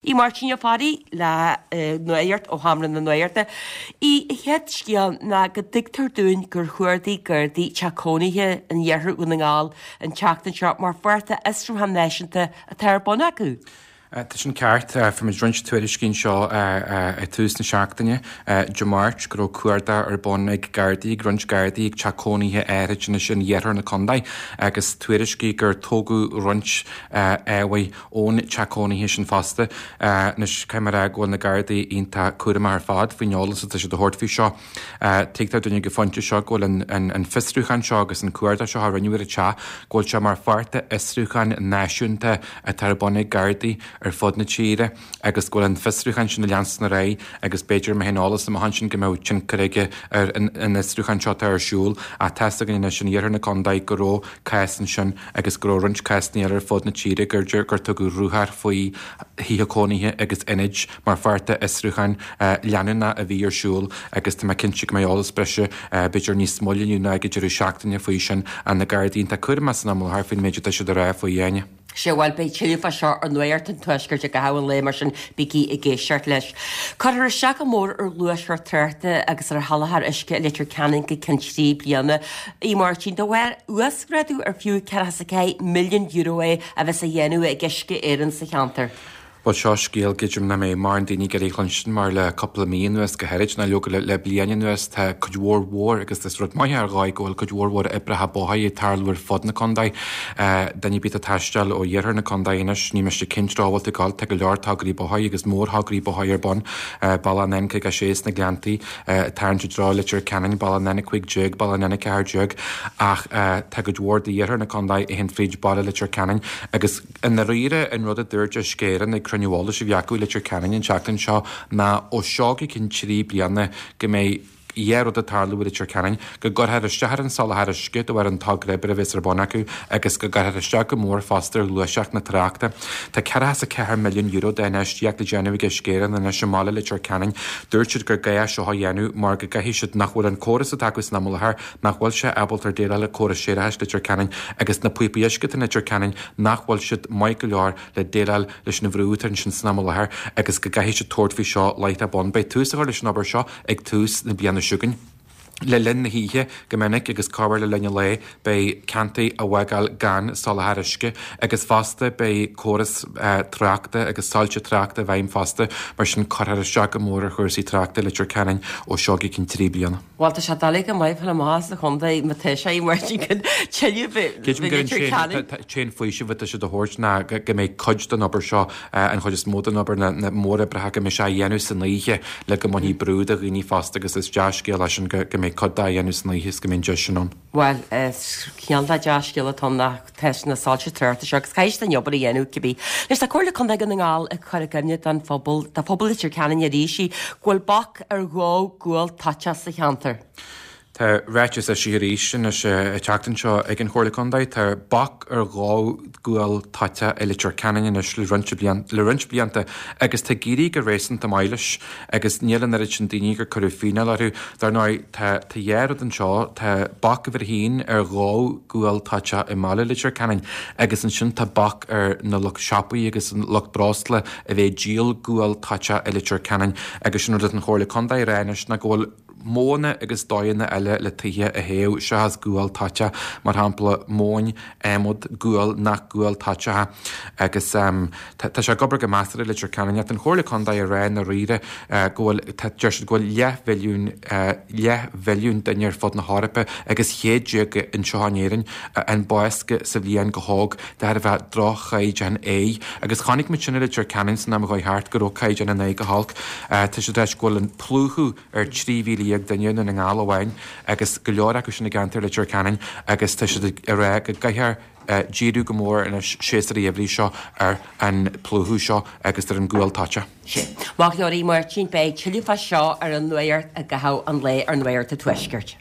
Í Máirtín Ó Fearraigh le Nuacht ó Sheomra na Nuachta. An chéad scéal ná go dtuigtear dúinn gur chuardaigh Gardaí teach cónaithe in iarthar Dhún na nGall an tseachtain seo mar pháirt de fhiosrúchán náisiúnta atá ar bun acu. Tá sin ceart. Fuair muid roinnt tuairiscí anseo ag tús na seachtaine, Dé Máirt, go raibh cuardach ar bun ag Gardaí, ag roinnt Gardaí ag teach cónaithe áithrid anois in iarthar na contae agus tuairiscí gur tógadh roinnt ábhair ón teach cónaithe sin fosta. Anois, caithfidh mé a rá go bhfuil na Gardaí iontach cúramach ar fad faoin eolas atá siad a thabhairt faoi seo. Tuigtear dúinn ag an phointe seo go bhfuil an fiosrúchán seo agus an cuardach seo a rinneadh ar an teach, go bhfuil sé mar pháirt de fhiosrúchán náisiúnta atá ar bun ag Gardaí ar fud na tíre agus go bhfuil an fiosrúchán sin ag leanstan ar aghaidh agus b'fhéidir má théann eolas amach ansin go mbeadh tionchar aige ar an fhiosrúchán seo atá ar siúl. Ach tá's againn anois in iarthar na contae go raibh cás ansin agus go raibh roinnt cásanna eile ar fud na tíre gur gur tugadh ruathar faoi thithe cónaithe agus ionaid mar pháirt de fhiosrúchán leanúnach a bhí ar siúl agus tá mé cinnte go mbeidh eolas breise b'fhéidir níos moille inniu nó ag an deireadh seachtaine faoi sin ach na Gardaí iontach cúramach san am i láthair faoin méid atá siad a rá faoi Áine. Sea, bhuel, beidh tuilleadh fá seo ar Nuacht an Tuaiscirt i gcaitheamh an lae, mar sin bígí ag éisteacht leis. Cuirfear isteach go mór ar ghluaiseacht tráchta agus ar sholáthar uisce i Leitir Ceanainn go ceann 3 bliana. A Mháirtín, de bharr uasghrádú ar fiú €44 milliún é a bheas á dhéanamh ag Uisce Éireann sa cheantar. Bhuel, seo scéal gcreidim nach mbeidh mórán daoine ag iarraidh a chluinstin mar le cúpla mí anuas, go háirid, nó leoga le bliain anuas, tá cuid mhór mhór, agus is rud maith é ar dhóigh, go bhfuil cuid mhór mhór oibreacha bóthair ag tarlú ar fud na contae. Duine ar bith atá ag taisteal ó iarthar na contae anois, ní miste cén treo a bhfuil tú ag dul, tá go leor tograí bóthair agus mórthograí bóthair ar bun, bealach an N56 sna Gleanntaí, ag tarraingt i dtreo Leitir Ceanainn, bealach an N15, bealach an N14, ach tá cuid mhór d'iarthar na contae a théann fríd baile Leitir Ceanainn agus, I ndáiríre, an rud a dúirt Uisce Éireann ag cruinniú eolais a bhí acu i Leitir Ceanainn an tseachtain seo ná ó seo go ceann 3 bliana go mbeidh 2 rud ag tarlú i Leitir Ceanainn, go gcuirfear isteach ar an soláthar uisce de bharr an togra oibre a bheas ar bun acu agus go gcuirfear isteach go mór fosta ar ghluaiseacht na tráchta. Tá €44 milliún d'infheistíocht le déanamh ag Uisce Éireann anois i mbaile Leitir Ceanainn. Dúirt siad gur gá é seo a dhéanamh mar go gcaithfidh siad nach bhfuil an córas atá acu san am i láthair nach bhfuil sé ábalta déileáil le córas séarachais Leitir Ceanainn agus na píopaí uisce atá in Leitir Ceanainn nach bhfuil siad maith go leor le déileáil leis an bhrú atá ansin san am i láthair agus go gcaithfidh siad tabhairt faoi seo láithreach bonn. Beidh tús á chur leis an obair seo ag tús na bliana seo chugainn. Le linn na hoíche go minic agus corruair le linn an lae beidh ceantair á bhfágáil gan soláthar uisce agus fosta beidh córas tráchta agus soilse tráchta i bhfeidhm fosta mar sin cuirfear isteach go mór ar chúrsaí tráchta i Leitir Ceanainn ó seo go ceann 3 bliana. Bhuel, tá sé doiligh go maith fáil amach as an chontae má tá sé mar sin go tuilleadh Creidim gur an t-aon faoiseamh atá siad a thabhairt ná go mbeidh cuid den obair seo, an chuid is mó den obair, na móroibreacha, go mbeidh sé á dhéanamh san oíche le go mbainfidh brú de dhaoine fosta agus is dea-scéal é sin go mbeidh cuid de á dhéanamh san oíche is go mbeidh an deis sin ann. Bhuel, is cineál de dea-scéal atá ann nach tá na soilse tráchta seo agus caithfidh siad an obair a dhéanamh cibé. Anois tá Comhairle Contae Dhún na nGall ag cur i gcuimhne don phobal, do phobal Leitir Ceanainn arís, go bhfuil bac ar dhó gual toiteach sa cheantar. Tá ráiteas eisithe arís anois an tseachtain seo ag an Chomhairle Contae. Tá bac ar dhó gual toiteach i Leitir Ceanainn anois le roinnt le roinnt blianta agus tá ag éirí go réasúnta maith leis agus níl an oiread sin daoine gur cuireadh fíneáil orthu. Dar ndóigh, tá tá dhá rud anseo, tá bac uimhir a haon ar dhó gual toiteach i mbaile Leitir Ceanainn agus ansin tá bac ar na lucht siopaí agus an lucht breosla a bheith ag díol gual toiteach i Leitir Ceanainn agus sin rud atá an Chomhairle Contae a rá anois ná go bhfuil modhanna agus dóigheanna eile le tithe a théamh seachas gual toiteach, mar shampla móin, adhmad, gual nach gual toiteach é agus tá sé ag obair go measartha i Leitir Ceanainn ach tá an Chomhairle Contae ag rá i ndáiríre go bhfuil, tá, deir siad go bhfuil leathmhilliún, leathbhilliún duine ar fud na hEorpa agus 16 anseo in Éirinn a fhaigheann bás sa bhliain go hóg de thairbhe droch-chaighdeán aeir agus chonaic muid sin i Leitir Ceanainn san am a chuaigh thart go raibh caighdeán an aeir go holc. Tá siad ag ráit go bhfuil an plúchadh ar 13,000 duine i nDún na nGall amháin agus go leor acu sin i gceantar Leitir Ceanainn agus tá siad ag rá go gcaithfear díriú go mór anois séasúr an gheimhridh seo ar an plúchadh seo agus ar an gual toiteach. Sin. Maith go leor a Mháirtín, beidh tuilleadh fá seo ar an nuacht i gcaitheamh an lae ar Nuacht an Tuaiscirt.